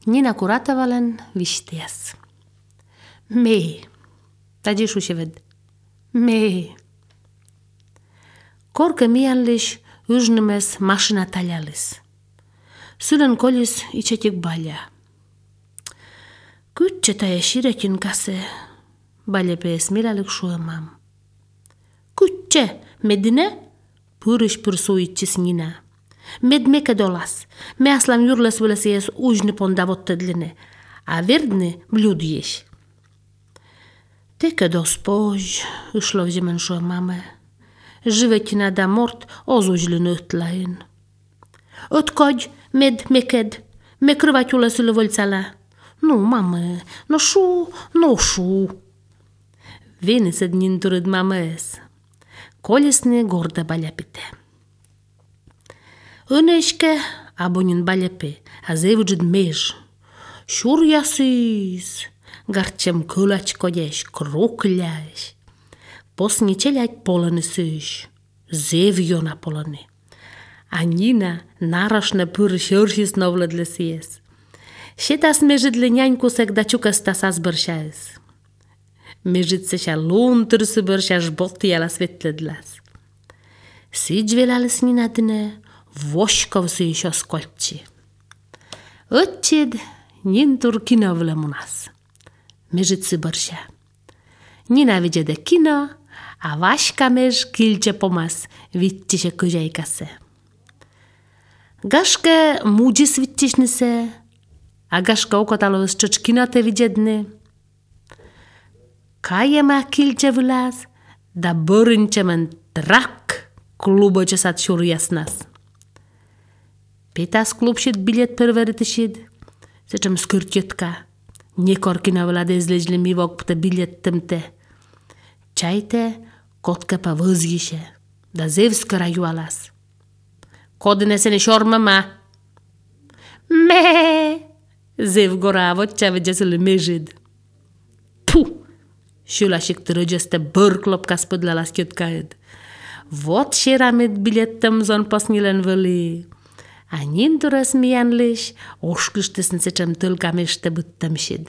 Nina kuratavalen vištias. Me. Tadzieszu się wed. Me. Korke miallis yžnimes mašina taljalis. Sylen kolis itsetik balja. Kütse taja širekin kase balja pees milalik šuemam. Kütse, medine? Pyrış pırsuitsis Nina. Med meke dolas. Me aslam jurles võles jees užni pondavottedline. A verdne bludjeś. Teke dospoj, išlo vžemen šuemame. Żywetina da mort ozuźlyn ötlain. Ötkodź, med meked, me kryvaciule sylle volcala. No, mamy, no szu. Venised ninturid mames. Kolesne gorda baljapite. Õneşke abonin baljapi, a zevđid mež. Šurjasis, garčem kõlač kodjeś, krokljajš. Posni čeljać polony syś, zevjona polony. A Nina narašne pyrš jöršis novledles jes. Šetas mežidle njaņkusek dačukas tas asbăršais. Mežitse ša luntyrsi bărša žbotijala svetledlas. Sidžvelalis Nina dine, voškovsi iš jos kolči. Õtčid nintur kinovle munas. Mežitsi bărša. Nina vidjede kino, a Vaška mež kilče pomas vittiše kyžeikase. Gaške muđis vittišnise, a gaška okotalo ščoč kino te vidjedne. Kajema kilče vlas, da bõrinčemen trak kluboče sad šurjasnas. Petas klubšit bilet perveritišid, sečem skyrtjetka. Niekorkina vlade zleźli mi wok te bilet temte. Čajte, kotka pa văzjiše, da zevska rajualas. Kodine se ne šormama. Me! Zev goravo, čavedje se le mežid. Puh! Šulašik trăgeste bărklopka spodlala skjotkajed. Vot šeramet biletem zon posnilen văli. A ninturas mianliš, ošklištesn se čem tълka mešte byttem šid.